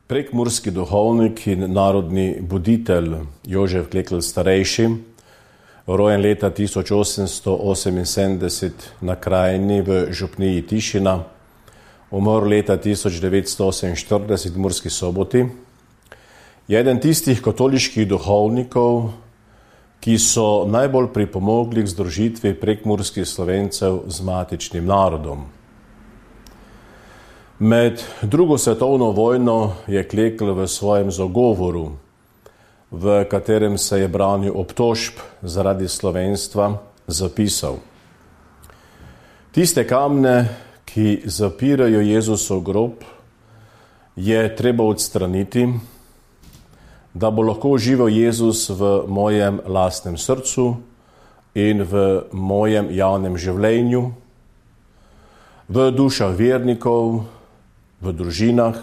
Prekmurski duhovnik in narodni buditelj Jožef Klekl starejši, rojen leta 1878 na Krajini v župniji Tišina, umrl leta 1948 v Murski Soboti, je eden tistih katoliških duhovnikov, ki so najbolj pripomogli k združitvi prekmurskih Slovencev z matičnim narodom. Med drugo svetovno vojno je Klekl v svojem zagovoru, v katerem se je branil obtožb zaradi slovenstva, zapisal: Tiste kamne, ki zapirajo Jezusov grob, je treba odstraniti, da bo lahko živel Jezus v mojem lastnem srcu in v mojem javnem življenju, v dušah vernikov, v družinah.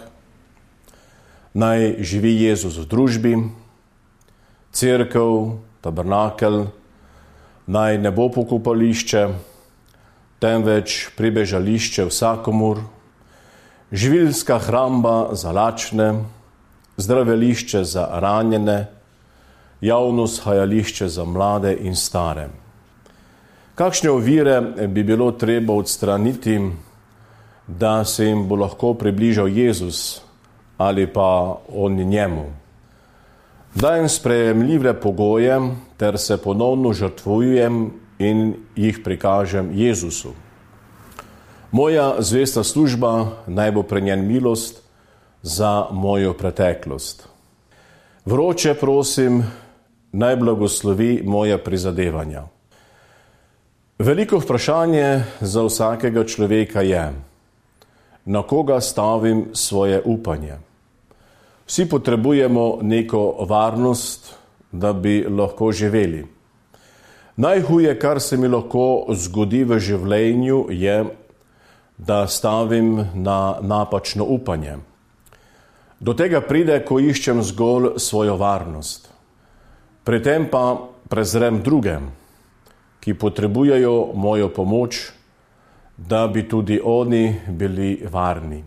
Naj živi Jezus v družbi, cerkev, tabernakel, naj ne bo pokopališče, temveč pribežališče vsakomur, živilska hramba za lačne, zdravilišče za ranjene, javno shajališče za mlade in stare. Kakšne ovire bi bilo treba odstraniti, da se jim bo lahko približal Jezus ali pa oni njemu? Dajem sprejemljive pogoje ter se ponovno žrtvujem in jih prikažem Jezusu. Moja zvesta služba naj bo pri njen milost za mojo preteklost. Vroče prosim, naj blagoslovi moja prizadevanja. Veliko vprašanje za vsakega človeka je, na koga stavim svoje upanje. Vsi potrebujemo neko varnost, da bi lahko živeli. Najhuje, kar se mi lahko zgodi v življenju, je, da stavim na napačno upanje. Do tega pride, ko iščem zgolj svojo varnost. Pri tem pa prezrem druge, ki potrebujejo mojo pomoč, da bi tudi oni bili varni.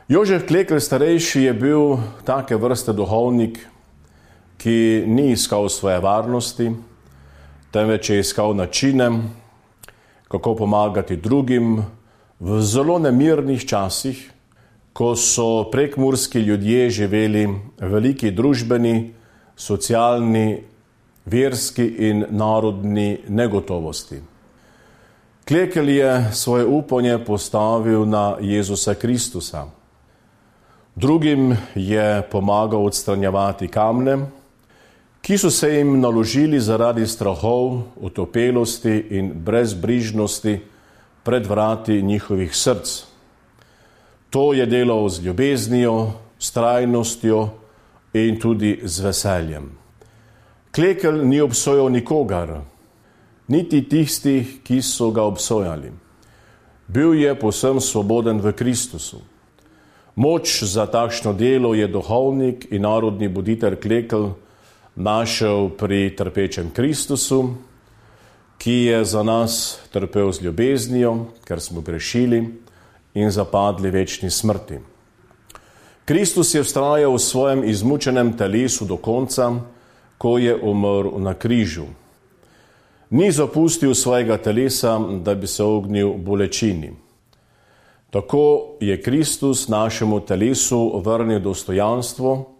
Jožef Klekl starejši je bil take vrste duhovnik, ki ni iskal svoje varnosti, temveč je iskal načine, kako pomagati drugim v zelo nemirnih časih, ko so prekmurski ljudje živeli veliki družbeni, socialni, verski in narodni negotovosti. Klekl je svoje upanje postavil na Jezusa Kristusa. Drugim je pomagal odstranjevati kamne, ki so se jim naložili zaradi strahov, otopelosti in brezbrižnosti pred vrati njihovih src. To je delal z ljubeznijo, vztrajnostjo in tudi z veseljem. Klekl ni obsojal nikogar, niti tistih, ki so ga obsojali. Bil je povsem svoboden v Kristusu. Moč za takšno delo je duhovnik in narodni buditelj Klekl našel pri trpečem Kristusu, ki je za nas trpel z ljubeznijo, ker smo grešili in zapadli večni smrti. Kristus je vztrajal v svojem izmučenem telesu do konca, ko je umrl na križu. Ni zapustil svojega telesa, da bi se ognil bolečini. Tako je Kristus našemu telesu vrnil dostojanstvo,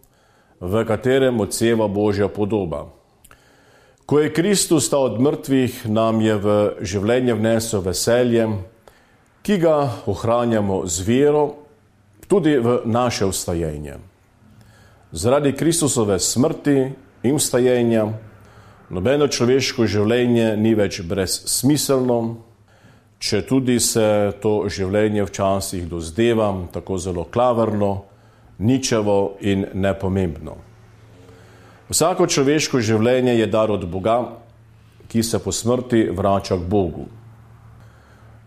v katerem odseva Božja podoba. Ko je Kristus stal od mrtvih, nam je v življenje vnesel veselje, ki ga ohranjamo z vero tudi v naše vstajenje. Zaradi Kristusove smrti in vstajenja nobeno človeško življenje ni več brezsmiselno, če tudi se to življenje včasih dozdeva tako zelo klavrno, ničevo in nepomembno. Vsako človeško življenje je dar od Boga, ki se po smrti vrača k Bogu.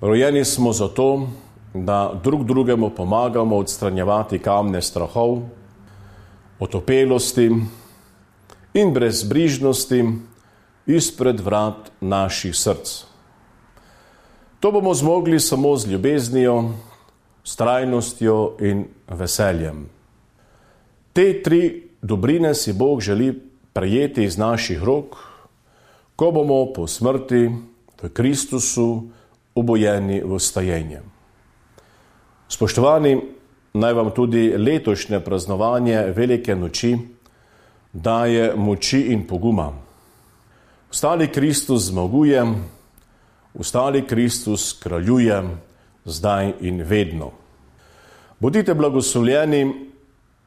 Rojeni smo zato, da drug drugemu pomagamo odstranjevati kamne strahov, otopelosti in brezbrižnosti izpred vrat naših src. To bomo zmogli samo z ljubeznijo, s trajnostjo in veseljem. Te 3 dobrine si Bog želi prejeti iz naših rok, ko bomo po smrti v Kristusu obojeni v vstajenje. Spoštovani, naj vam tudi letošnje praznovanje Velike noči daje moči in poguma. Vstali Kristus zmaguje, vstali Kristus kraljuje, zdaj in vedno. Bodite blagoslovljeni,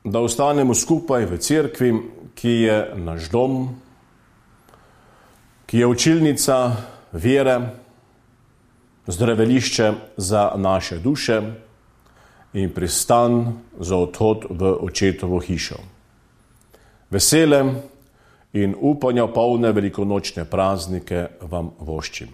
da ostanemo skupaj v cerkvi, ki je naš dom, ki je učilnica vere, zdravilišče za naše duše in pristan za odhod v Očetovo hišo. Vesele in upanja polne velikonočne praznike vam voščim.